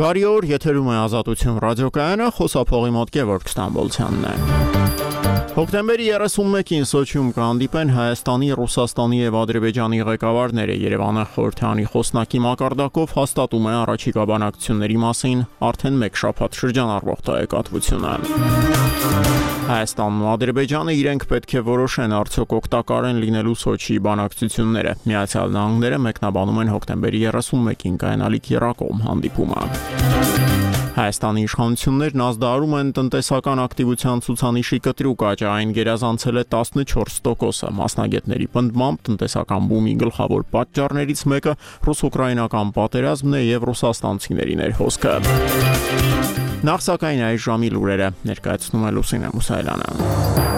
Բարի օր, եթերում է Ազատություն ռադիոկայանը, խոսափողի մոտ Գևորգ Ստամբոլցյանն է։ Հոկտեմբերի 31-ին Սոչիում կհանդիպեն Հայաստանի, Ռուսաստանի եւ Ադրբեջանի ղեկավարները։ Երևանը խորհրդանի խոսնակի մակարդակով հաստատում է առաջիկա բանակցությունների մասին արդեն մեկ շաբաթ շրջանառվող տեղեկատվությունը։ Հայաստանն ու Ադրբեջանը իրենք պետք է որոշեն արդյոք օգտակար են լինելու Սոչիի բանակցությունները։ Միացյալ Նահանգները մեկնաբանում են հոկտեմբերի 31-ին կայանալիք եռակողմ հանդիպումը։ Հայաստանի իշխանություններն ազդարարում են տնտեսական ակտիվության ցուցանիշի կտրուկ աճ, այն գերազանցել է 14%։ Մասնագետների պնդմամբ տնտեսական բումի գլխավոր պատճառներից մեկը ռուս-ուկրաինական պատերազմն է եւ ռուսաստանցիների ներհոսքը։ Նախ սակայն այս ժամի լուրերը ներկայացնում է Լուսինե Մուսայելյանը։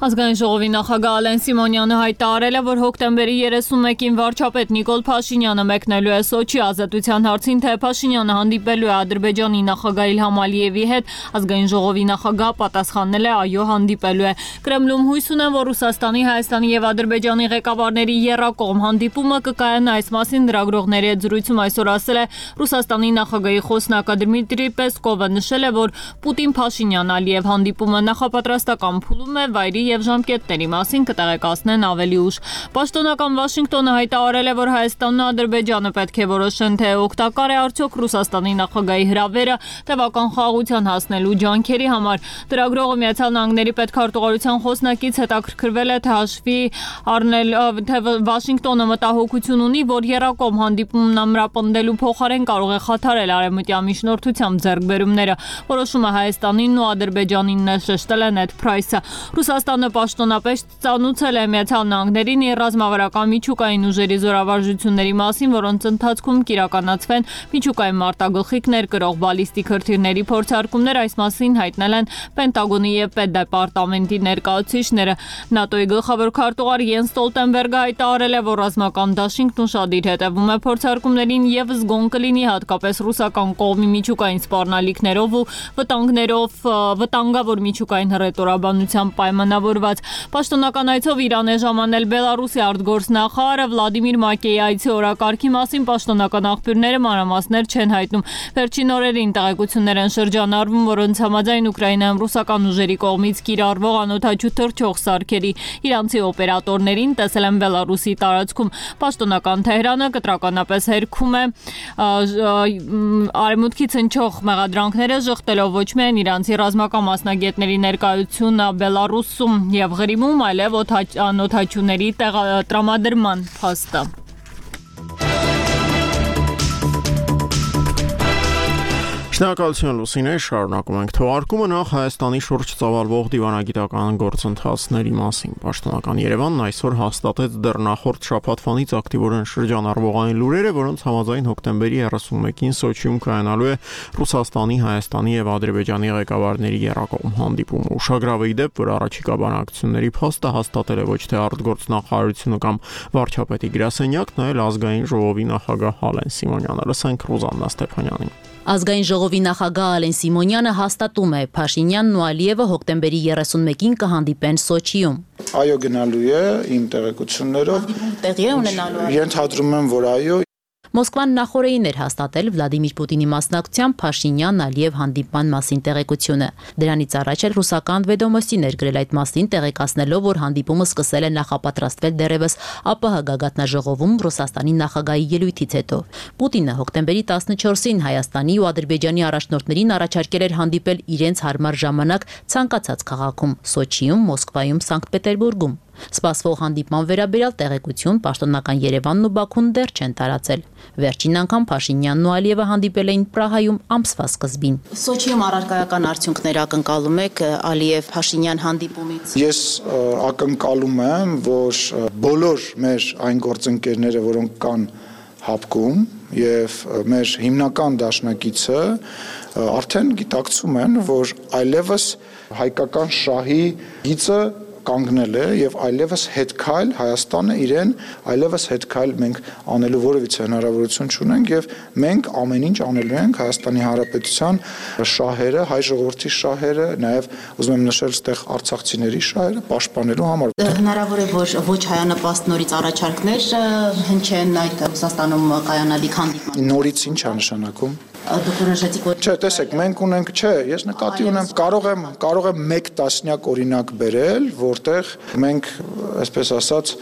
Ազգային ժողովի նախագահ Ալեն Սիմոնյանը հայտարարել է, որ հոկտեմբերի 31-ին վարչապետ Նիկոլ Փաշինյանը մեկնելու է Սոչի ազատության հարցին, թե Փաշինյանը հանդիպելու է Ադրբեջանի նախագահ Իլհամ Ալիևի հետ, ազգային ժողովի նախագահ պատասխանել է այո, հանդիպելու է։ Կրեմլում հույս ունեն, որ Ռուսաստանի, Հայաստանի եւ Ադրբեջանի ղեկավարների եռակողմ հանդիպումը կկայանա, այս մասին լրագրողների հետ զրույցում այսօր ասել է Ռուսաստանի նախագահի խոսնակ Դմիտրի Պեսկովը, նշել է, որ Պուտին-Փաշինյան-Ալիև հանդիպումը նախապատրաստական փուլում է, վայրի եւ ժամկետների մասին կտեղեկացնեն ավելի ուշ։ Պաշտոնական Վաշինգտոնը հայտարարել է, որ Հայաստանն ու Ադրբեջանը պետք է որոշեն, թե օգտակար է արդյոք Ռուսաստանի նախագահի հրավերը տևական խաղաղության հասնելու ջանքերի համար։ Լրագրողը Միացյալ Նահանգների պետքարտուղարության խոսնակից հետաքրքրվել է, թե հաշվի առնել, թե Վաշինգտոնը մտահոգություն ունի, որ եռակողմ հանդիպումն ամրապնդելու փոխարեն կարող է խաթարել արևմտյան միջնորդությամբ ձեռքբերումները։ Որոշումը Հայաստանին ու Ադրբեջանին շեշտել է Նեդ Փրայսը։ Ռուսաստանը պաշտոնապես ծանուցել է Միացյալ Նահանգներին ռազմավարական միջուկային ուժերի զորավարժությունների մասին, որոնց ընթացքում կիրականացվեն միջուկային մարտագլխիկներ կրող բալիստիկ հրթիռների փորձարկումներ, այս մասին հայտնել են Պենտագոնի եւ Պետդեպարտամենտի ներկայացուցիչները։ ՆԱՏՕ-ի գլխավոր քարտուղար Յենս Ստոլտենբերգը հայտարարել է, որ ռազմական դաշինքն ուշադիր հետևում է փորձարկումներին եւ զգոն կլինի հատկապես ռուսական կողմի միջուկային սպառնալիքներով ու վտանգավոր միջուկային հռետորաբանությամբ պայմանավորված։ Պաշտոնական այցով Իրան է ժամանել Բելարուսի արտգործնախարարը Վլադիմիր Մակեյի այցի օրակարգի մասին պաշտոնական աղբյուրները մանրամասներ չեն հայտնում։ Վերջին օրերին տեղեկություններ են շրջանառվում, որոնց համաձայն Ուկրաինայում ռուսական ուժերի կողմից կիրառվող անօդաչու թռչող սարքերի իրանցի օպերատորներին տեսել են Բելարուսի տարածքում։ Պաշտոնական Թեհրանը կտրականապես հերքում է արևմուտքից հնչող մեղադրանքները, ժխտելով ոչ միայն իրանցի ռազմական մասնագետների ներկայությունը Բելարուսում եւ Ղրիմում, այլև անօդաչուների տրամադրման փաստը։ Շնորհակալություն Լուսինե, շարունակում ենք թողարկումը նախ Հայաստանի շուրջ ծավալվող դիվանագիտական գործընթացների մասին։ Պաշտոնական Երևանն այսօր հաստատեց դեռ նախորդ շաբաթվանից ակտիվորեն շրջանառվող այն լուրերը, որոնց համաձայն հոկտեմբերի 31-ին Սոչիում կայանալու է Ռուսաստանի, Հայաստանի եւ Ադրբեջանի ղեկավարների եռակողմ հանդիպումը։ Ուշագրավ է դեպ, որ առաջիկա բանակցությունների փաստը հաստատել է ոչ թե արտգործնախարարությունը կամ վարչապետի գրասենյակն, այլ ազգային ժողովի նախագահ Ալեն Սիմոնյանը։ Լսենք Ռուզաննա Ստեփանյանին։ Ազգային ժողովի նախագահ Ալեն Սիմոնյանը հաստատում է Փաշինյանն ու Ալիևը հոկտեմբերի 31-ին կհանդիպեն Սոչիում։ Այո, գնալու է իմ տեղեկություններով։ Տեղի է ունենալու։ Ենթադրում եմ, որ այո։ Մոսկվան նախորդին էր հաստատել Վլադիմիր Պուտինի մասնակցությամբ Փաշինյան-Ալիև հանդիպման մասին տեղեկությունը։ Դրանից առաջ էլ ռուսական Վեդոմոստի ներգրել այդ մասին, տեղեկացնելով, որ հանդիպումը սկսել է նախապատրաստվել դեռևս ԱՊՀ գագաթնաժողովում Ռուսաստանի նախագահի ելույթից հետո։ Պուտինը հոկտեմբերի 14-ին Հայաստանի ու Ադրբեջանի առաջնորդներին առաջարկել էր հանդիպել իրենց հարմար ժամանակ ցանկացած քաղաքում՝ Սոչիում, Մոսկվայում, Սանկտ Պետերբուրգում։ Սպասվող հանդիպման վերաբերյալ տեղեկություն պաշտոնական Երևանն ու Բաքուն դեռ չեն տարածել։ Վերջին անգամ Փաշինյանն ու Ալիևը հանդիպել էին Պրահայում ամսվա սկզբին։ Սոչիում առարկայական արդյունքներ ակնկալում եք Ալիև-Փաշինյան հանդիպումից։ Ես ակնկալում եմ, որ բոլոր մեր այն գործընկերները, որոնք կան հապկում եւ մեր հիմնական դաշնակիցը արդեն գիտակցում են, որ այլևս հայկական շահի գիծը կանգնել է եւ այլևս հետքայլ Հայաստանը իրեն այլևս հետքայլ մենք անելու որևիցե հնարավորություն չունենք եւ մենք ամեն ինչ անելու ենք Հայաստանի Հանրապետության շահերը, հայ ժողովրդի շահերը, նաեւ ուզում եմ նշել այդտեղ արցախցիների շահերը պաշտպանելու համար։ Հնարավոր է որ ոչ հայանպաստ նորից առաջարկներ հնչեն այդ Ռուսաստանում կայանալիք հանդիպման։ Նորից ինչ է նշանակում։ Դուք որոշեցիք որ Չէ, տեսեք, մենք ունենք, ես նկատի ունեմ, կարող եմ 1 տասնյակ օրինակ բերել, որտեղ մենք, այսպես ասած,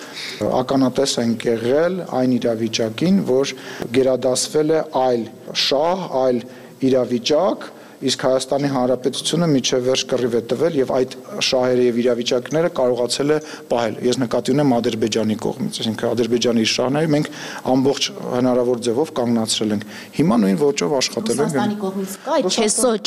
ականատես ենք եղել այն իրավիճակին, որ գերադասվել է այլ շահ, այլ իրավիճակ, իսկ Հայաստանի Հանրապետությունը միջև վերջ կռիվ է տվել եւ այդ շահերը եւ իրավիճակները կարողացել է պահել։ Ես նկատի ունեմ Ադրբեջանի կողմից, այսինքն Ադրբեջանի շահները մենք ամբողջ հնարավոր ձևով կանգնացրել ենք։ Հիմա նույն ոճով աշխատելու ենք։ Ռուսաստանի կողմից կա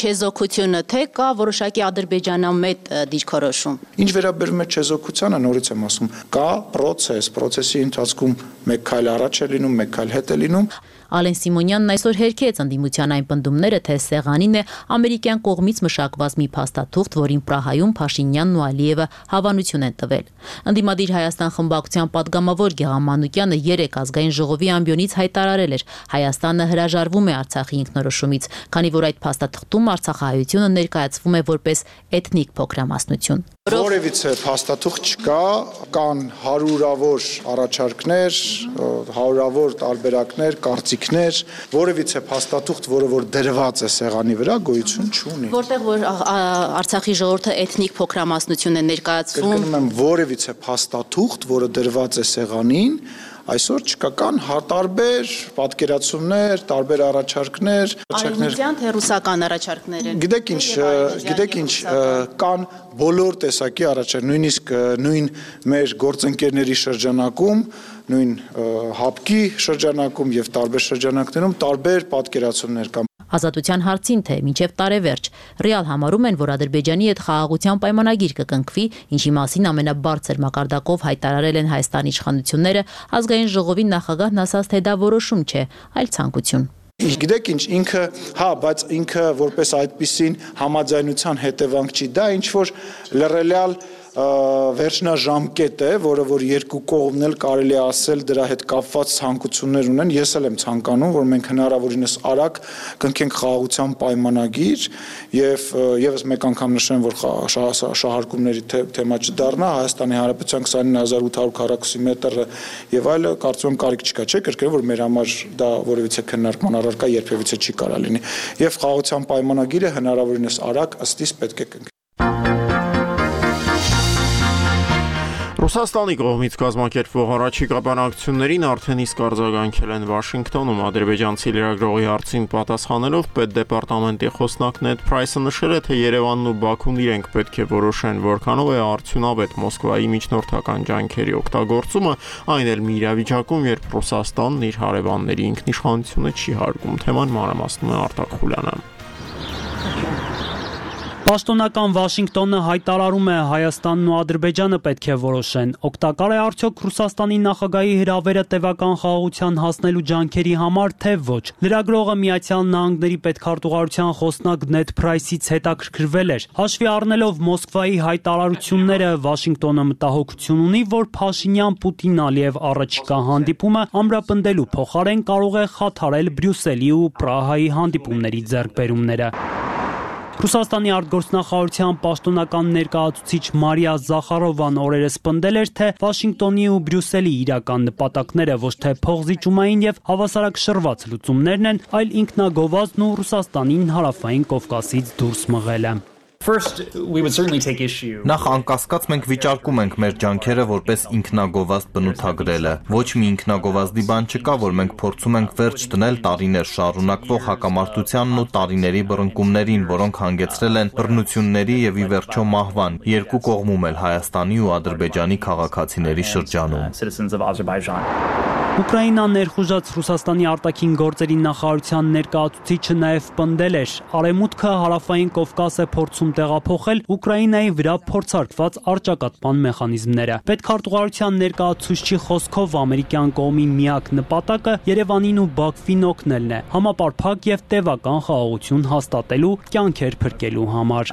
չեզոքությունը, թե կա որոշակի ադրբեջանամետ դիրքորոշում։ Ինչ վերաբերում է չեզոքությանը, նորից եմ ասում, կա process-ի ընթացքում մեկ քայլ առաջ է լինում, մեկ քայլ հետ է լինում։ Ալեն Սիմոնյանն այսօր հերքեց ընդդիմության այն պնդումները, թե սեղանին է ամերիկյան կողմից մշակված մի փաստաթուղթ, որին Պրահայում Փաշինյանն ու Ալիևը հավանություն են տվել։ Ընդդիմադիր Հայաստան խմբակցության падգամավոր Գեղամ Մանուկյանը 3 ազգային ժողովի ամբիոնից հայտարարել էր. Հայաստանը հրաժարվում է Արցախի ինքնորոշումից, քանի որ այդ փաստաթղթում արցախահայությունը ներկայացվում է որպես էթնիկ փոքրամասնություն։ Որևիցե փաստաթուղթ չկա, կան հարյուրավոր առաջարկներ, հարյուրավոր տարբերակներ, կարծիքներ, որևիցե փաստաթուղթ, որը որ դրված է սեղանի վրա, գոյություն չունի։ Որտեղ որ Արցախի ժողովուրդը էթնիկ փոքրամասնություն է ներկայացվում։ Կրկնում եմ, որևիցե փաստաթուղթ, որը դրված է սեղանին, այսօր չկա, կան տարբեր պատկերացումներ, տարբեր առաջարկներ, Արևմտյան թե ռուսական առաջարկներ են։ Գիտեք ինչ, կան բոլոր տեսակի առաջարկ, նույնիսկ նույն մեր գործընկերների շրջանակում, նույն ՀԱՊԿ-ի շրջանակում եւ տարբեր շրջանակներում տարբեր պատկերացումներ կան։ Ազատության հարցին թե մինչև տարեվերջ ռեալ համարում են, որ Ադրբեջանի հետ խաղաղության պայմանագիր կկնքվի, ինչի մասին ամենաբարձր մակարդակով հայտարարել են Հայաստանի իշխանությունները, ազգային ժողովի նախագահն ասաց, թե դա որոշում չէ, այլ ցանկություն։ Գիտեք ինչ, բայց ինքը որպես այդպիսին համաձայնության հետևանք չի, դա ինչ որ լռելյալ վերջնաժամկետ է, որը որ երկու կողմն էլ կարելի է ասել դրա հետ կապված ցանկություններ ունեն։ Ես էլ եմ ցանկանում, որ մենք հնարավորինս արագ կնքենք խաղաղության պայմանագիր եւ եւս մեկ անգամ նշեմ, որ շահարկումների թեմա չդառնա, Հայաստանի Հանրապետության 29800 քառակուսի մետրը եւ այլը, կարծում եմ կարիք չկա, չէ՞, կրկնել, որ մեր համար դա որևիցե քննարկման առարկա երբևիցե չի կարա լինի։ Եվ խաղաղության պայմանագիրը հնարավորինս արագ ըստիս պետք է կնքվի։ Ռուսաստանի կողմից կազմակերպվող առաջիկա բանակցություններին արդեն իսկ արձագանքել են Վաշինգտոնում ադրբեջանցի լրագրողի հարցին պատասխանելով պետդեպարտամենտի խոսնակ Նեդ Փրայսը նշել է, թե Երևանն ու Բաքուն իրենք պետք է որոշեն, որքանով է արդյունավետ Մոսկվայի միջնորդական ջանքերի օգտագործումը, այն էլ մի իրավիճակում, երբ Ռուսաստանն իր հարևանների ինքնիշխանությունը չի հարգում։ Թեման մանրամասնում է Արտակ Խուլյանը։ Պաշտոնական Վաշինգտոնը հայտարարում է Հայաստանն ու Ադրբեջանը պետք է որոշեն, օգտակար է արդյոք Ռուսաստանի նախագահի հրավերը տևական խաղաղության հասնելու ջանքերի համար, թե ոչ։ Լրագրողը Միացյալ Նահանգների պետքարտուղարության խոսնակ Նեդ Փրայսից հետաքրքրվել էր։ Հաշվի առնելով Մոսկվայի հայտարարությունները, Վաշինգտոնը մտահոգություն ունի, որ Փաշինյան-Պուտին-Ալիև առաջիկա հանդիպումը ամրապնդելու փոխարեն կարող է խաթարել Բրյուսելի ու Պրահայի հանդիպումների ձեռքբերումները։ Ռուսաստանի արտգործնախարարության պաշտոնական ներկայացուցիչ Մարիա Զախարովան օրերս պնդել էր, թե Վաշինգտոնի ու Բրյուսելի իրական նպատակները ոչ թե փողզիջումային եւ հավասարակշռված լուծումներն են, այլ ինքնագովազդն ու Ռուսաստանին հարավային Կովկասից դուրս մղելը։ Նախ անկասկած մենք վիճարկում ենք մեր ջանքերը որպես ինքնագովազդ բնութագրելը։ Ոչ մի ինքնագովազդի բան չկա, որ մենք փորձում ենք վերջ դնել տարիներ շարունակվող հակամարտությանն ու տարիների բռնկումներին, որոնք հանգեցրել են բռնությունների եւ ի վերջո մահվան, երկու կողմում էլ Հայաստանի ու Ադրբեջանի քաղաքացիների շրջանում։ Ուկրաինան ներխուժած Ռուսաստանի արտաքին գործերի նախարարության ներկայացուցիչը նաև պնդել էր, Արևմուտքը հարավային Կովկաս է փորձում տեղափոխել Ուկրաինայի վրա փորձարկված առճակատման մեխանիզմները։ Պետքարտուղարության ներկայացուցչի խոսքով ամերիկյան կողմի միակ նպատակը Երևանին ու Բաքվին օգնելն է, համապարփակ եւ տևական խաղաղություն հաստատելու, կյանքեր փրկելու համար։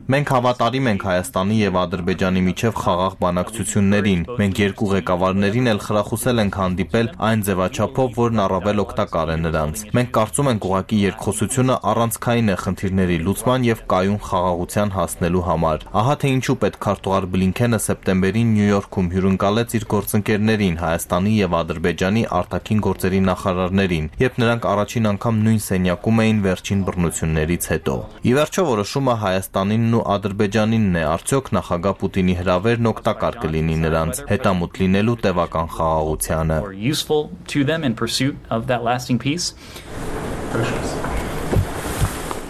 Մենք հավատարիմ ենք Հայաստանի եւ Ադրբեջանի միջև խաղաղ բանակցություններին։ Մենք երկու ղեկավարներին էլ խրախուսել ենք հանդիպել այն ձևաչափով, որն առավել օգտակար է նրանց։ Մենք կարծում ենք ուղղակի երկխոսությունը առանցքային է խնդիրների լուծման եւ կայուն խաղաղության հասնելու համար։ Ահա թե ինչու պետքարտուղար Բլինքենը սեպտեմբերին Նյու Յորքում հյուրընկալեց իր գործընկերներին Հայաստանի եւ Ադրբեջանի արտաքին գործերի նախարարներին, երբ նրանք առաջին անգամ նույն սենյակում էին վերջին բռնություններից հետո։ Ի վերջո որոշումը Հայաստանինն ու Ադրբեջանինն է, արդյոք նախագահ Պուտինի հրավերն օգտակար կլինի նրանց հետամուտ լինելու տևական խաղաղությանը։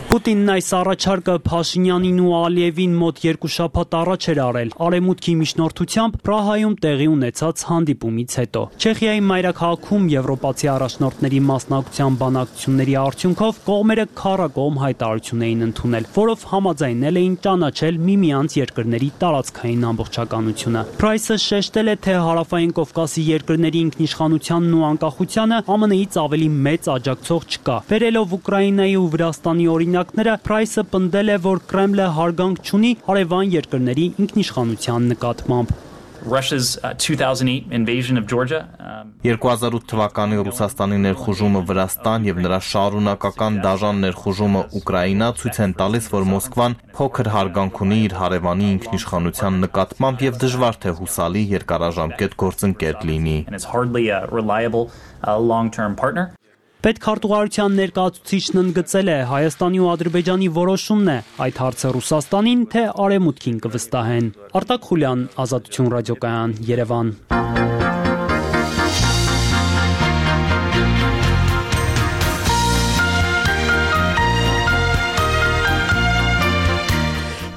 Պուտինն այս առաջարկը Փաշինյանին ու Ալիևին մոտ 2 շաբաթ առաջ էր արել Արևմուտքի միջնորդությամբ Պրահայում տեղի ունեցած հանդիպումից հետո։ Չեխիայի մայրաքաղաքում եվրոպացի առաջնորդների մասնակցության բանակցությունների արդյունքով կողմերը քառակողմ հայտարարություն էին ընդունել, որով համաձայնել էին ճանաչել միմյանց երկրների տարածքային ամբողջականությունը։ Պրայսը շեշտել է, թե հարավային Կովկասի երկրների ինքնիշխանությանն ու անկախությանը ԱՄՆ-ից ավելի մեծ աջակցող չկա։ Վերելով Ուկրաինայի ու Վրաստանի օրինակները, Պրայսը պնդել է, որ Կրեմլը հարգանք չունի հարևան երկրների ինքնիշխանության նկատմամբ։ Russia's 2008 invasion of Georgia 2008 թվականի Ռուսաստանի ներխուժումը Վրաստան եւ նրա շարունակական դաժան ներխուժումը Ուկրաինա ցույց են տալիս, որ Մոսկվան փոքր հարգանք ունի իր հարևանի ինքնիշխանության նկատմամբ եւ դժվար թե հուսալի երկարաժամկետ գործընկեր լինի։ Պետքարտուղարության ներկայացուցիչն ընդգծել է, Հայաստանի ու Ադրբեջանի որոշումն է այդ հարցը Ռուսաստանին, թե Արևմուտքին կվստահեն։ Արտակ Խուլյան, Ազատություն ռադիոկայան, Երևան։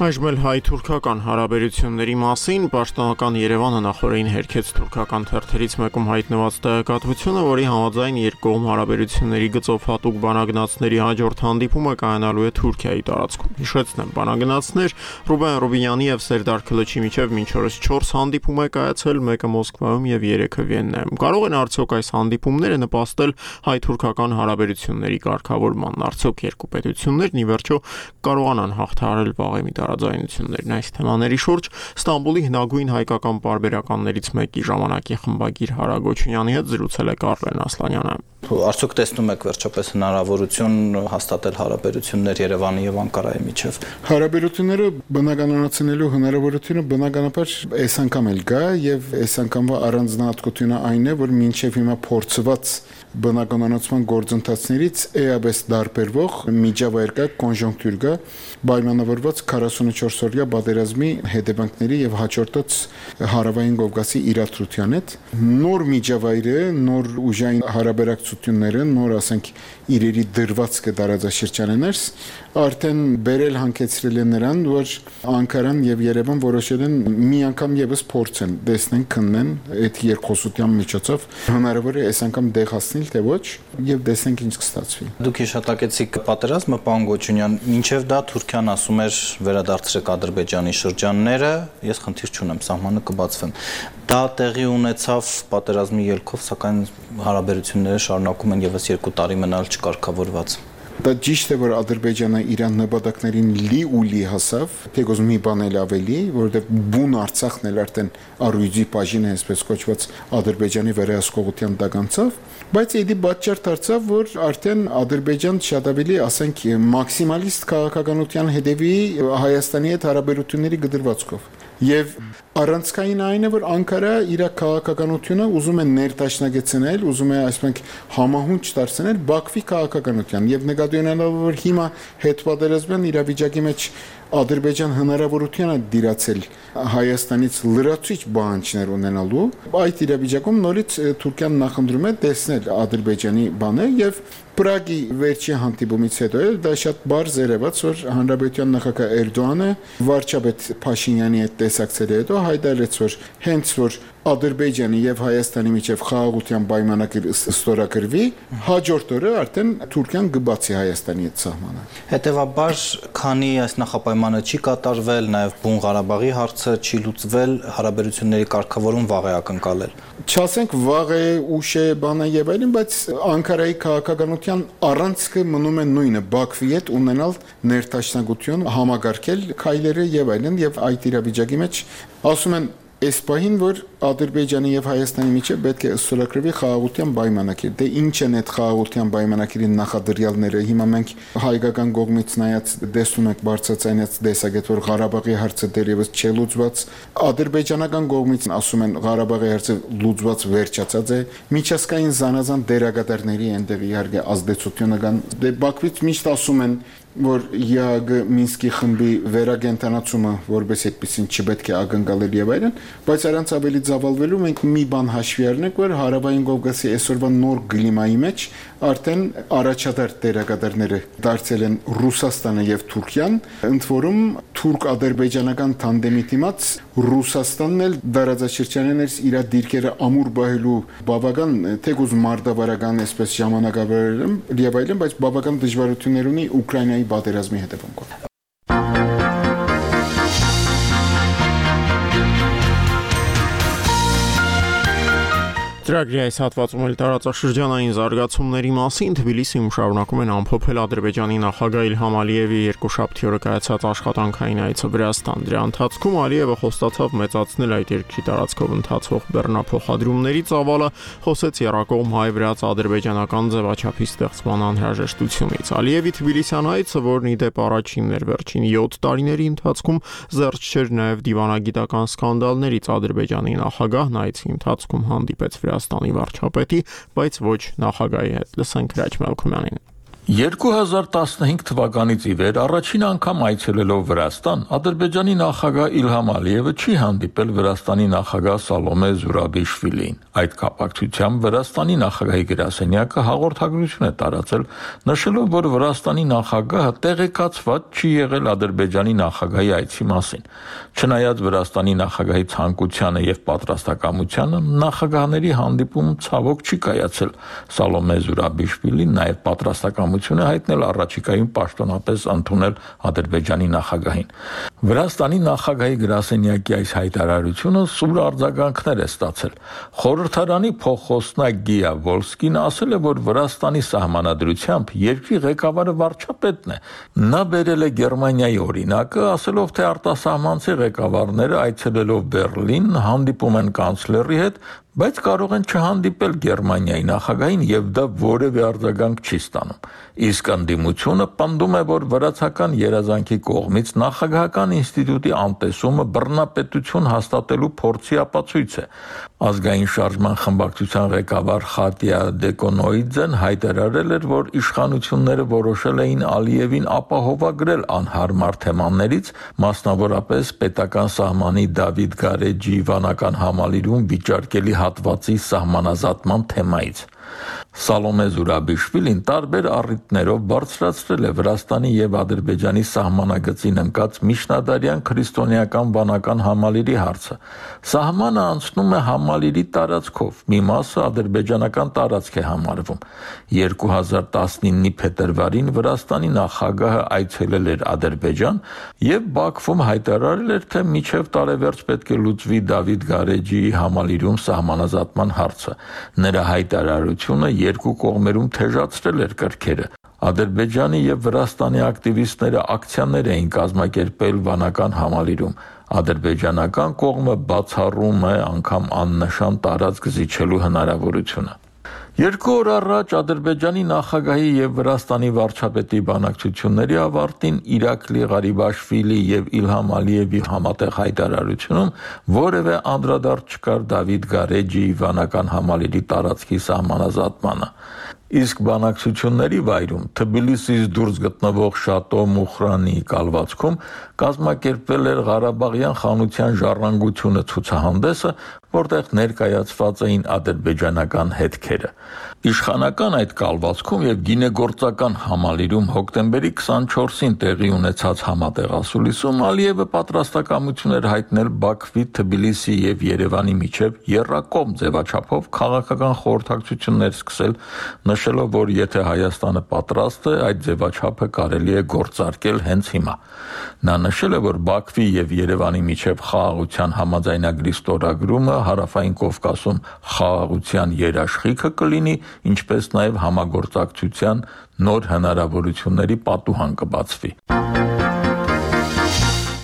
Այժմ էլ հայ-թուրքական հարաբերությունների մասին պաշտոնական Երևանը նախորդին հերքեց թուրքական թերթերից մեկում հայտնված տեղեկատվությունը, որի համաձայն երկկողմ հարաբերությունների գծով հատուկ բանագնացների հաջորդ հանդիպումը կայանալու է Թուրքիայի տարածքում։ Հիշեցնեմ, բանագնացներ Ռուբեն Ռուբինյանի եւ Սերդար Քլիչի միջև մինչ օրս 4 հանդիպում է կայացել, մեկը Մոսկվայում եւ 3-ը Վիեննայում։ Կարող են արդյոք այս հանդիպումները նպաստել հայ-թուրքական հարաբերությունների կարգավորման։ Արդյոք երկու պետություններն ի վերջո կարողանան հաղթահարել վաղեմի տարաձայնություններն այս թեմաների շուրջ Ստամբուլի հնագույն հայկական պարբերականներից մեկի ժամանակի խմբագիր Հարա Գոչունյանի հետ զրուցել է Կարլեն Ասլանյանը։ Արդյոք տեսնում եք վերջապես հնարավորություն հաստատել հարաբերություններ Երևանի եւ Անկարայի միջև։ Հարաբերությունները բնականացնելու հնարավորությունը բնականաբար այս անգամ էլ կա եւ այս անգամվա առանձնահատկությունը այն է, որ մինչեւ հիմա փորձված բնականացման գործընթացներից էաբես դարբերվող միջավայր կա, կոնժունկտուր կա, պայմանավորված 44-օրյա պատերազմի հետևանքների եւ հաջորդած հարավային Կովկասի իրադրության հետ։ Նոր միջավայրը, նոր ուժային հարաբերակցությունները, նոր ասենք իրերի դրվածքը տարածաշրջաններս արդեն բերել հանգեցրել են նրան, որ Անկարան եւ Երևան որոշել են մի անգամ եւս փորձեն, տեսնեն, քննեն այդ երկխոսության միջոցով հնարավոր է այս անգամ դեղ հասնել թե ոչ եւ տեսնենք ինչ կստացվի։ Դուք հիշատակեցիք պատերազմը, պարոն Գոչունյան, մինչեւ դա Թուրքիան ասում էր վերադարձրեք Ադրբեջանի շրջանները, ես խնդիր չունեմ, սահմանը կբացվեն։ Դա տեղի ունեցավ պատերազմի ելքով, սակայն հարաբերությունները շարունակում են եւս 2 տարի մնալ չկարգավորված։ Դա ճիշտ է, որ Ադրբեջանը Իրան նպատակներին լի հասավ, թեկոզ մի բան էլ ավելի, որովհետև բուն Արցախն էլ արդեն առույցի բաժին է, այսպես կոչված Ադրբեջանի վերահսկողության տակ անցավ, բայց իդի պատճառ դարձավ, որ արդեն Ադրբեջան շատ ավելի, ասենք, մաքսիմալիստ քաղաքականության հետևի Հայաստանի հետ հարաբերությունների գդրվածքով։ Եվ առանցքային այն է, որ Անկարա իր քաղաքականությունը ուզում է ներդաշնակեցնել, ուզում է այսպես համահունչ դարձնել Բաքվի քաղաքականության եւ նկատի ունենալով, որ հիմա հետպատերազմյան իրավիճակի մեջ Ադրբեջան հնարավորություն է դիրացել Հայաստանից լրացուցիչ բանջներ ունենալու, այդ իրավիճակում նորից Թուրքիան նախընտրում է տեսնել Ադրբեջանի բանը եւ Պրագի վերջի հանդիպումից հետո դա շատ բարձ երևաց, որ Հանրապետության նախագահ Էրդողանը վարչապետ Փաշինյանի հետ տեսակցել հետո հայտարարեց, որ հենց որ Ադրբեջանի եւ Հայաստանի միջև խաղաղության պայմանագիր ստորագրվի, հաջորդ օրը արդեն Թուրքիան կբացի Հայաստանի այդ սահմանը։ Հետևաբար, քանի այս նախապայմանը չի կատարվել, նաեւ Բուն Ղարաբաղի հարցը չի լուծվել, հարաբերությունների կարգավորում վաղ է ակնկալել։ Չասենք վաղ է, ուշ է, բան է եւ այլն, բայց Անկարայի քաղաքականության առանցքը մնում է նույնը՝ Բաքվի հետ ունենալ ներդաշնակություն, համագարկել քայլերը եւ այլն, եւ այդ իրավիճակի մեջ ասում են այս պահին, որ Ադրբեջանի եւ Հայաստանի միջեւ պետք է ստորագրվի խաղաղության պայմանագիր։ Դե ինչ են այդ խաղաղության պայմանագիրի նախադրյալները։ Հիմա մենք հայկական կողմից նայած տեսնում ենք բարձրացած տեսակետ, որ Ղարաբաղի հարցը դեռևս չի լուծված։ Ադրբեջանական կողմից ասում են Ղարաբաղի հարցը լուծված վերջացած է։ Միջազգային զանազան դերակատարների այնտեղ իհարկե ազդեցությունը կան։ Դե Բաքվից միշտ ասում են որ ԵԱԳ Մինսկի խմբի վերագենտանացումը որպես այդպեսին չպետք է ակնկալել եւ այլն, բայց առանց ավելի ծավալվելու մենք մի բան հաշվի առնենք, որ Հարավային Կովկասի այսօրվա նոր կլիմայի մեջ արդեն առաջատար դերակատարները դարձել են Ռուսաստանը եւ Թուրքիան, ընդ որում թուրք-ադրբեջանական թանդեմի դիմաց Ռուսաստանն էլ դարաձաշրջաններս իր դիրքերը ամուր բահելու բավական թեկուզ մարտավարական այսպես ժամանակավորում եւ այլն, բայց բավական դժվարություններ ունի Ուկրաինայի պատերազմի հետևանքով։ Ծրագրի այս հատվածում էլ տարածաշրջանային զարգացումների մասին Թբիլիսիում շարունակում են ամփոփել Ադրբեջանի նախագահ Իլհամ Ալիևի երկուշաբթի օրը կայացած աշխատանքային այցը Վրաստան։ Դրա ընթացքում Ալիևը խոստացավ մեծացնել այդ երկրի տարածքով ընթացող բեռնափոխադրումների ծավալը, խոսեց եռակողմ հայ-վրաց-ադրբեջանական ձևաչափի ստեղծման անհրաժեշտությունից։ Ալիևի Թբիլիսյան այցը, որն ի դեպ առաջինն էր վերջին 7 տարիների ընթացքում, զերծ չէր նաև դիվանագիտական սկանդալներից։ Ադրբեջանի նախագահն այցի ընթացքում հանդիպեց Վրաստանի վարչապետի, բայց ոչ նախագահի հետ։ Լսենք Հրաչ Մելքումյանին։ 2015 թվականից ի վեր առաջին անգամ այցելելով Վրաստան, Ադրբեջանի նախագահ Իլհամ Ալիևը չի հանդիպել Վրաստանի նախագահ Սալոմե Զուրաբիշվիլիին։ Այդ կապակցությամբ Վրաստանի նախագահի գրասենյակը հաղորդագրություն է տարածել, նշելով, որ Վրաստանի նախագահը տեղեկացված չի եղել Ադրբեջանի նախագահի այցի մասին։ Չնայած Վրաստանի նախագահի ցանկությանը եւ պատրաստակամությանը, նախագահների հանդիպում ցավոք չի կայացել։ Սալոմե Զուրաբիշվիլին նաեւ պատրաստակամություն է հայտնել առաջիկայում պաշտոնապես ընդունել Ադրբեջանի նախագահին։ Վրաստանի նախագահի գրասենյակի այս հայտարարությունը սուր արձագանքներ է ստացել։ Խորհրդարանի փոխխոսնակ Գիա Վոլսկին ասել է, որ Վրաստանի սահմանադրությամբ երկրի ղեկավարը վարչապետն է։ Նա բերել է Գերմանիայի օրինակը, ասելով, թե արտասահմանցի ղեկավարները այցելելով Բեռլին հանդիպում են կանցլերի հետ, բայց կարող են չհանդիպել Գերմանիայի նախագահին եւ դա որևէ արձագանք չի ստանում։ Իսկ ընդդիմությունը պնդում է, որ վրացական երազանքի կողմից նախագահական ինստիտուտի անտեսումը բռնապետություն հաստատելու փորձի ապացույց է։ Ազգային շարժման խմբակցության ղեկավար Խատիա Դեկոնոիձեն հայտարարել էր, որ իշխանությունները որոշել էին Ալիևին ապահովագրել անհարմար թեմաներից, մասնավորապես պետական սահմանի Դավիթ Գարեջի վանական համալիրում վիճարկելի հատվածի սահմանազատման թեմայից։ Սալոմե Զուրաբիշվիլին տարբեր առիթներով բարձրացրել է Վրաստանի եւ Ադրբեջանի սահմանագծին ընկած միջնադարյան քրիստոնեական վանական համալիրի հարցը։ Սահմանը անցնում է համալիրի տարածքով, մի մասը ադրբեջանական տարածք է համարվում։ 2019-ի փետրվարին Վրաստանի նախագահը այցելել էր Ադրբեջան եւ Բաքվում հայտարարել էր, թե մինչեւ տարեվերջ պետք է լուծվի Դավիթ Գարեջիի համալիրում սահմանազատման հարցը։ Նրա հայտարարությունը երկու կողմերում թեժացրել էր կրքերը։ Ադրբեջանի եւ Վրաստանի ակտիվիստները ակցիաներ էին կազմակերպել վանական համալիրում։ Ադրբեջանական կողմը բացառում է անգամ աննշան տարածք զիջելու հնարավորությունը։ 2 օր առաջ Ադրբեջանի նախագահի եւ Վրաստանի վարչապետի բանակցությունների ավարտին Իրաքլի Ղարիբաշվիլի եւ Իլհամ Ալիևի համատեղ հայտարարությունում որևէ անդրադարձ չկար Դավիթ Գարեջիի վանական համալիրի տարածքի սահմանազատմանը։ Իսկ բանակցությունների վայրում Թբիլիսից դուրս գտնվող Շատո Մուխրանի կալվածքում կազմակերպվել էր Ղարաբաղյան խանության ժառանգությունը ցուցահանդեսը, որտեղ ներկայացված էին ադրբեջանական հետքերը։ Իշխանական այդ կալվածքում եւ գինեգործական համալիրում հոկտեմբերի 24-ին տեղի ունեցած համատեղասուլիսում Ալիևը պատրաստակամություն էր հայտնել Բաքվի, Թբիլիսի եւ Երևանի միջև եռակողմ ձևաչափով քաղաքական խորհրդակցություններ սկսել, նշելով, որ եթե Հայաստանը պատրաստ է, այդ ձևաչափը կարելի է գործարկել հենց հիմա։ Նա նշել է, որ Բաքվի եւ Երևանի միջև խաղաղության համաձայնագրի ստորագրումը Հարավային Կովկասում խաղաղության երաշխիքը կլինի, ինչպես նաև համագործակցության նոր հնարավորությունների պատուհան կբացվի։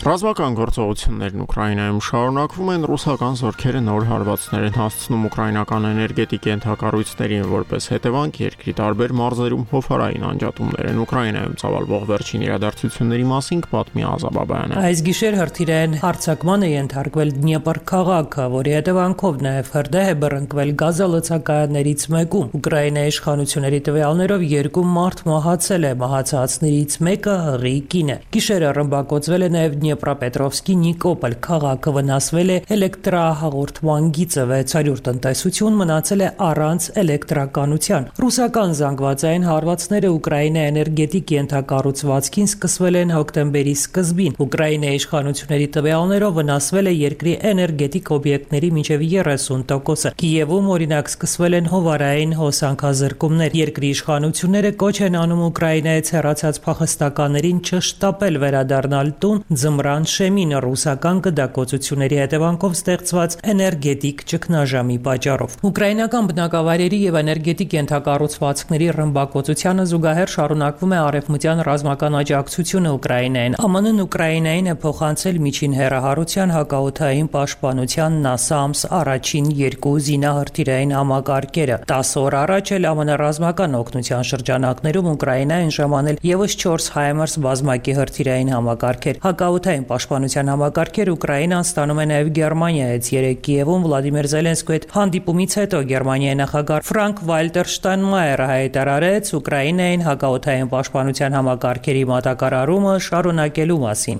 Ռազմական գործողություններն Ուկրաինայում շարունակվում են, ռուսական զորքերը նոր հարվածներ են հասցնում ուկրաինական էներգետիկ ենթակառույցներին, որպես հետևանք երկրի տարբեր մարզերում հովհարային անջատումներ են Ուկրաինայում ծավալվող վերջին իրադարձությունների մասին կպատմի Ազաբաբայանը։ Այս գիշեր հրթիռային հարձակման է ենթարկվել Դնեպր քաղաքը, որի հետևանքով նաև հրդեհ է բռնկվել գազալցակայաններից մեկում։ Ուկրաինայի իշխանությունների տվյալներով 2 մարդ մահացել է, մահացածներից մեկը հղի կին է։ Գիշերը ռմբակոծվել է նաև Դնեպրապետրովսկի Նիկոպոլ քաղաքը, վնասվել է էլեկտրահաղորդման գիծը, 600 տնտեսություն մնացել է առանց էլեկտրականության։ Ռուսական զանգվածային հարվածները Ուկրաինայի էներգետիկ ենթակառուցվածքին սկսվել են հոկտեմբերի սկզբին։ Ուկրաինայի իշխանությունների տվյալներով վնասվել է երկրի էներգետիկ օբյեկտների մինչև 30%-ը։ Կիևում օրինակ սկսվել են հովարային հոսանքազրկումներ։ Երկրի իշխանությունները կոչ են անում Ուկրաինայից հեռացած փախստականներին չշտապել վերադառնալ տուն ձմռան շեմին ռուսական գդակոծությունների հետևանքով ստեղծված էներգետիկ ճգնաժամի պատճառով։ Ուկրաինական բնակավայրերի եւ էներգետիկ ենթակառուցվածքների ռմբակոծությանը զուգահեռ շարունակվում է արևմտյան ռազմական աջակցությունը Ուկրաինային։ ԱՄՆ-ն Ուկրաինային է փոխանցել միջին հեռահարության հակաօդային պաշտպանության NASAMS առաջին 2 զինահրթիռային համակարգերը։ 10 օր առաջ էլ ԱՄՆ ռազմական օգնության շրջանակներում Ուկրաինային ժամանել եւս 4 HIMARS բազմակի հրթիռային համակարգեր։ Հակաօդային պաշտպանության համակարգեր Ուկրաինան ստանում է նաև Գերմանիայից։ Երեկ Կիևում Վլադիմիր Զելենսկու հետ հանդիպումից հետո Գերմանիայի նախագահ Ֆրանկ Վալտեր Շտայնմայերը հայտարարեց Ուկրաինային հակաօդային պաշտպանության համակարգերի մատակարարումը շարունակելու մասին։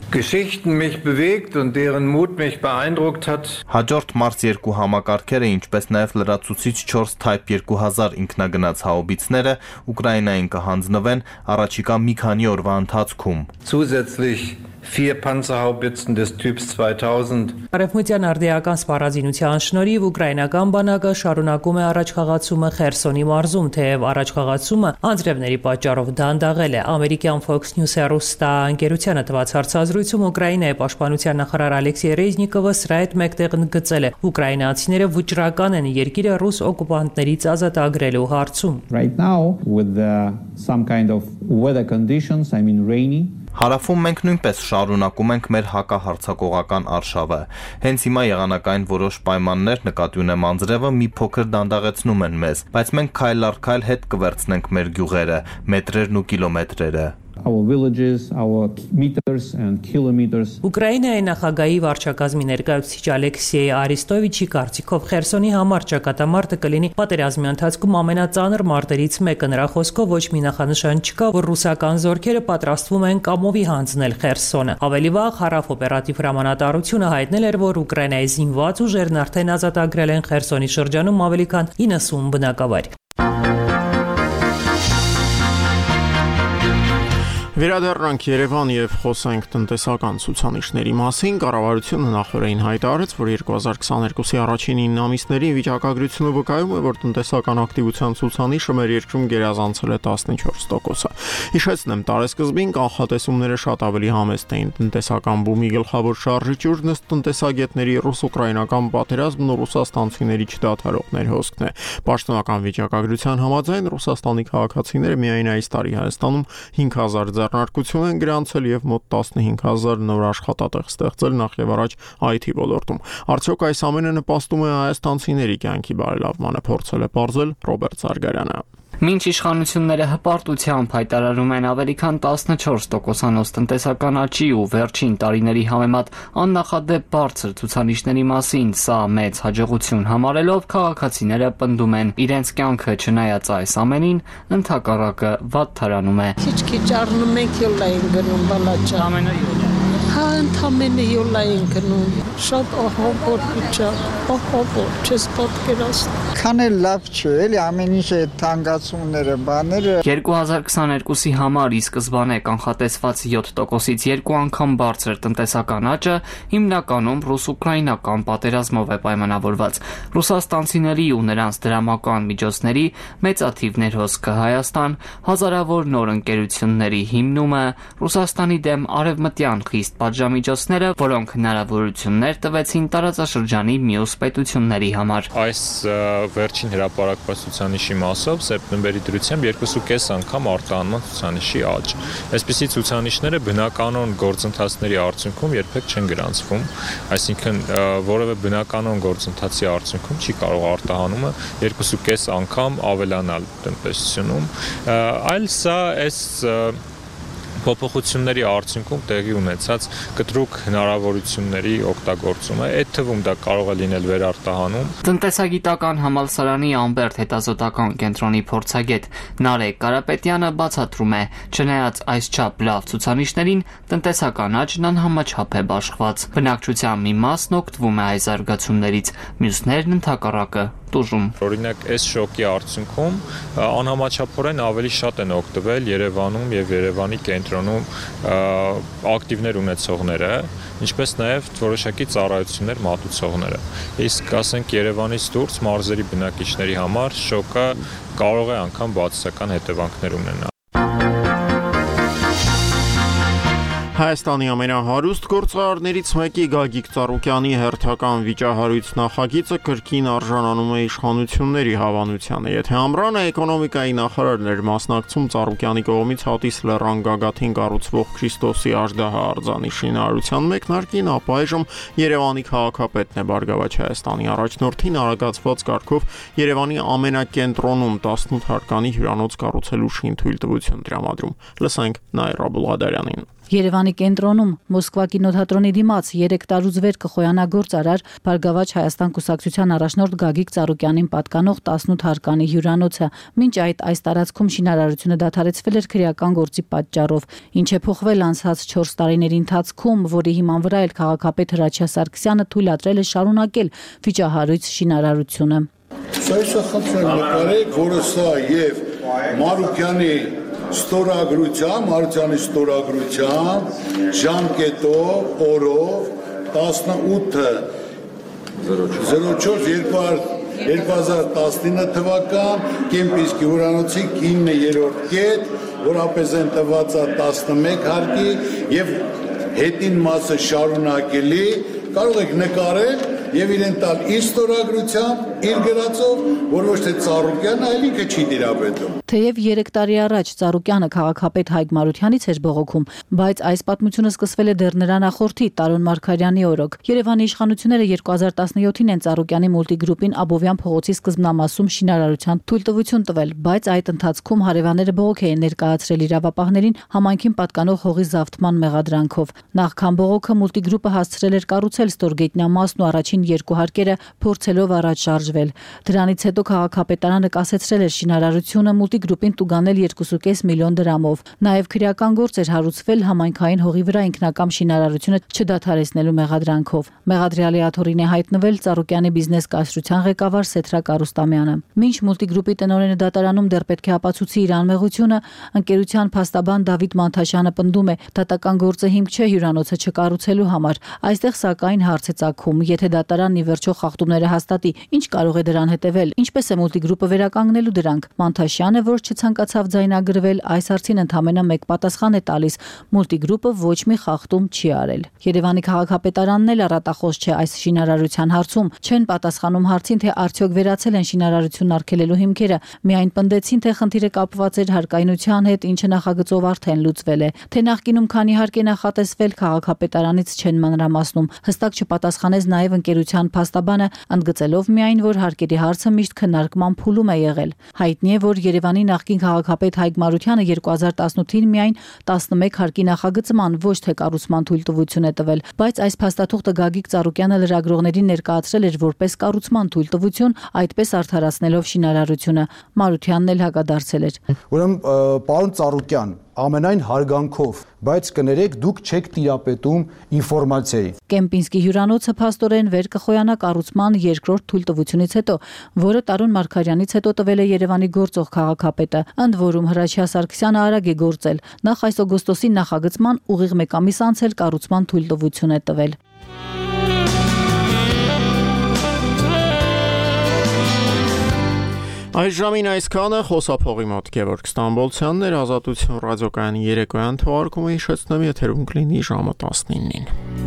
Հաջորդ Մարս 2 համակարգերը, ինչպես նաև լրացուցիչ 4 Type 2000 ինքնագնաց հաուբիցները Ուկրաինային կհանձնվեն առաջիկա մի քանի օրվա ընթացքում։ Zusätzlich 4 Panzerhaubitzen des Typs 2000։ Արևմտյան արդիական սպառազինության շնորհիվ ուկրաինական բանակը շարունակում է առաջխաղացումը Խերսոնի մարզում, թեև առաջխաղացումը անձրևների պատճառով դանդաղել է։ Ամերիկյան Fox News հեռուստաընկերությանը տված հարցազրույցում Ուկրաինայի պաշտպանության նախարար Ալեքսեյ Ռեզնիկովը սրա հետ մեկտեղ ընդգծել է. ուկրաինացիները վճռական են երկիրը ռուս օկուպանտներից ազատագրելու հարցում։ Right now with some kind of weather conditions, I mean rainy. Հարավում մենք նույնպես շարունակում ենք մեր հակահարձակողական արշավը։ Հենց հիմա եղանակային որոշ պայմաններ նկատի ունեմ անձրևը մի փոքր դանդաղեցնում են մեզ, բայց մենք քայլ առ քայլ հետ կվերցնենք մեր գյուղերը, մետրերն ու կիլոմետրերը։ Our villages, our meters and kilometers. Ուկրաինայի նախագահի վարչակազմի ներկայացուցիչ Ալեքսեյ Արիստովիչի կարծիքով Խերսոնի համար ճակատամարտը կլինի պատերազմի ընթացքում ամենածանր մարտերից մեկը։ Նրա խոսքով ոչ մի նախանշան չկա, որ ռուսական զորքերը պատրաստվում են կամովի հանձնել Խերսոնը։ Ավելի վաղ Հարավ օպերատիվ հրամանատարությունը հայտնել էր, որ Ուկրաինայի զինված ուժերն արդեն ազատագրել են Խերսոնի շրջանում ավելի քան 90 բնակավայր։ Վերադառնանք Երևան եւ խոսենք տնտեսական ցուցանիշների մասին։ Կառավարությունը նախորդին հայտարարեց, որ 2022-ի առաջին 9 ամիսների վիճակագրությունը վկայում է, որ տնտեսական ակտիվության ցուցանիշը մեր երկրում գերազանցել է 14%-ը։ Հիշեցնեմ, տարեսկզբին կանխատեսումները շատ ավելի համեստ էին։ Տնտեսական բումի գլխավոր շարժիչուրն ըստ տնտեսագետների ռուս-ուկրաինական պատերազմն ու ռուսաստանցիների չդադարողներ հոսքն է։ Պաշտոնական վիճակագրության համաձայն Ռուսաստանի քաղաքացիները միայն այս տարի Հայաստանում 5000 ձեռնարկություն են գրանցել եւ մոտ 15000 նոր աշխատատեղ ստեղծել նախ եւ առաջ IT ոլորտում։ Արդյոք այս ամենը նպաստում է հայաստանցիների կյանքի բարելավմանը, փորձել է պարզել Ռոբերտ Զարգարյանը։ Մինչ իշխանությունները հպարտությամբ հայտարարում են ավելի քան 14%-անոց տնտեսական աճի ու վերջին տարիների համեմատ աննախադեպ բարձր ցուցանիշների մասին, սա մեծ հաջողություն համարելով քաղաքացիները պնդում են իրենց կյանքը չնայած այս ամենին ընդհակառակը վատթարանում է։ Քիչ-քիչ առնում ենք յոլային գնում բալաճա։ Ընդամենը յոլա են գնում, շատ ահավոր վիճակ, ահավոր, չես պատկերացնում։ Քան էլ լավ չէ, էլի ամեն ինչ է թանկացումները, բաները։ 2022-ի համար ի սկզբանե կանխատեսված 7%-ից 2 անգամ բարձր տնտեսական աճը հիմնականում ռուս-ուկրաինական պատերազմով է պայմանավորված։ Ռուսաստանցիների ու նրանց դրամական միջոցների մեծաթիվ ներհոսքը Հայաստան, հազարավոր նոր ընկերությունների հիմնումը, Ռուսաստանի դեմ արևմտյան խիստ պատժամիջոցները, որոնք հնարավորություններ տվեցին տարածաշրջանի մյուս պետությունների համար։ Այս վերջին հրապարակված ցուցանիշի մասով սեպտեմբերի դրությամբ 2.5 անգամ արտահանման ցուցանիշի աճ։ Այսպիսի ցուցանիշները բնականon գործընթացների արդյունքում երբեք չեն գրանցվում, այսինքն որևէ բնականon գործընթացի արդյունքում չի կարող արտահանումը 2.5 անգամ ավելանալ տնտեսությունում, այլ սա այս փոփոխությունների արդյունքում տեղի ունեցած կտրուկ հնարավորությունների օգտագործումը, այդ թվում դա կարող է լինել վերարտահանում։ Տնտեսագիտական համալսարանի Ամբերտ հետազոտական կենտրոնի փորձագետ Նարեկ Կարապետյանը բացատրում է, չնայած այսչափ լավ ցուցանիշներին, տնտեսական աճն անհամաչափ է բաշխված։ Բնակչության մի մասն օգտվում է այս զարգացումներից, մյուսներն ընդհակառակը տուժում։ Օրինակ, այս շոկի արդյունքում անհամաչափորեն ավելի շատ են օգտվել Երևանում եւ Երևանի կենտրոնում ակտիվներ ունեցողները, ինչպես նաեւ որոշակի ծառայություններ մատուցողները։ Իսկ ասենք Երևանից դուրս մարզերի բնակիչների համար շոկը կարող է անգամ բացասական հետևանքներ ունենալ։ Հայաստանի ամենահարուստ գործարարներից մեկի Գագիկ Ծառուկյանի հերթական վիճահարույց նախագիծը կրկին արժանանում է իշխանությունների հավանությանը։ Եթե ամռանը էկոնոմիկայի նախարարն էր մասնակցում Ծառուկյանի կողմից Հատիս լեռան գագաթին կառուցվող Քրիստոսի աժդահա արձանի շինարարության մեկնարկին, ապա այժմ Երևանի քաղաքապետն է Բարգավաճ Հայաստանի առաջնորդին արագացված կարգով Երևանի ամենակենտրոնում 18 հարկանի հյուրանոց կառուցելու շինթույլտվություն տրամադրում։ Լսենք Նայր Աբուլղադարյանին։ Երևանի կենտրոնում Մոսկվա կինոթատրոնի դիմաց 3 տարուց վեր կխոյանա գործարար Բարգավաճ Հայաստան կուսակցության առաջնորդ Գագիկ Ծառուկյանին պատկանող 18 հարկանի հյուրանոցը։ Մինչ այս տարածքում շինարարությունը դադարեցվել էր քրեական գործի պատճառով, ինչ է փոխվել անցած 4 տարիների ընթացքում, որի հիման վրա էլ քաղաքապետ Հրաչյա Սարգսյանը թույլատրել է շարունակել վիճահարույց շինարարությունը։ Սա նկարեք, որը սա եւ Մարուկյանի Մարությանի ստորագրությամբ ժամկետով օրով 18/04/2019 թվական Կեմպինսկի հյուրանոցի 9-րդ կետ, որապես են տված 11 հարկի եւ հետին մասը շարունակելի, կարող եք նկարել եւ իրեն տալ իր ստորագրությամբ, իր գրածով, որ ոչ թե Ծառուկյանը, այլ ինքը չի դիրապետում։ Թեև 3 տարի առաջ Ծառուկյանը քաղաքապետ Հայկ Մարությանից էր բողոքում, բայց այս պատմությունը սկսվել է դեռ նրա նախորդի Տարոն Մարգարյանի օրոք։ Երևանի իշխանությունները 2017-ին են Ծառուկյանի մուլտիգրուպին Աբովյան փողոցի սկզբնամասում շինարարության թույլտվություն տվել, բայց այդ ընթացքում հարևանները բողոք էին ներկայացրել իրավապահներին համայնքին պատկանող հողի զավթման մեղադրանքով։ Նախքան բողոքը մուլտիգրուպը հասցրել էր կառուցել ստորգետնյա մասն ու առաջին 2 հարկերը փորձելով առաջ շարժվել։ Դրանից հետո քաղաքապետարանը կասեցրել էր շինարարությունը մուլտիգրուպին տուգանել 2.5 միլիոն դրամով։ Նաև քրեական գործ էր հարուցվել համայնքային հողի վրա ինքնակամ շինարարությունը չդադարեցնելու մեղադրանքով։ Մեղադրյալի աթոռին է հայտնվել Ծառուկյանի բիզնես կայսրության ղեկավար Սեթրակ Արուստամյանը։ Մինչ մուլտիգրուպի տնօրենը դատարանում դեռ պետք է ապացուցի իր անմեղությունը, ընկերության փաստաբան Դավիթ Մանթաշյանը պնդում է, դատական գործը հիմք չէ հյուրանոցը չկառուցելու համար։ Այստեղ սակայն հարց է ծագում, եթե դատարանն ի վերջո խախտումները հաստատի, ինչ կարող է դրան հետևել, ինչպես է մուլտիգրուպը վերականգնելու դրանք։ Մանթաշյանը, որ չցանկացավ ձայնագրվել, այս հարցին ընդամենը մեկ պատասխան է տալիս. մուլտիգրուպը ոչ մի խախտում չի արել։ Երևանի քաղաքապետարանն էլ առատախոս չէ այս շինարարության հարցում, չեն պատասխանում հարցին, թե արդյոք վերացել են շինարարությունն արգելելու հիմքերը, միայն պնդեցին, թե խնդիրը կապված էր հարկայնության հետ, ինչը նախագծով արդեն լուծվել է։ Թե նախկինում քանի հարկ է նախատեսվել, քաղաքապետարանից չեն մանրամասնում։ Հստակ չպատասխանեց նաև ընկերության փաստաբանը, ընդգծելով միայն, որ հարկերի հարցը միշտ քննարկման փուլում է եղել։ Հայտնի է, որ Երևանի նախկին քաղաքապետ Հայկ Մարությանը 2018-ին միայն 11 հարկի նախագծման, ոչ թե կառուցման թույլտվություն է տվել, բայց այս փաստաթուղթը Գագիկ Ծառուկյանը լրագրողներին ներկայացրել էր որպես կառուցման թույլտվություն, այդպես արդարացնելով շինարարությունը։ Մարությանն էլ հակադարձել էր։ Ուրեմն, պարոն Ծառուկյան, ամենայն հարգանքով, բայց կներեք դուք չեք տիրապետում ինֆորմացիայի։ Կեմպինսկի հյուրանոցը փաստորեն վեր կխոյանա կառուցման երկրորդ թույլտվությունից հետո, որը Տարուն Մարգարյանից հետո տվել է Երևանի գործող քաղաքապետը, ընդ որում Հրաչյա Սարգսյանը արագ է գործել։ Նախ այս օգոստոսի նախագծման ուղիղ 1 ամիս անց էլ կառուցման թույլտվություն է տվել։ Այս ժամին այսքանը խոսափողի մոտ Գևորգ Ստամբոլցյանն էր, Ազատություն ռադիոկայանի երեկոյան թողարկումը հիշեցնեմ, եթերում կլինի ժամը 19-ին։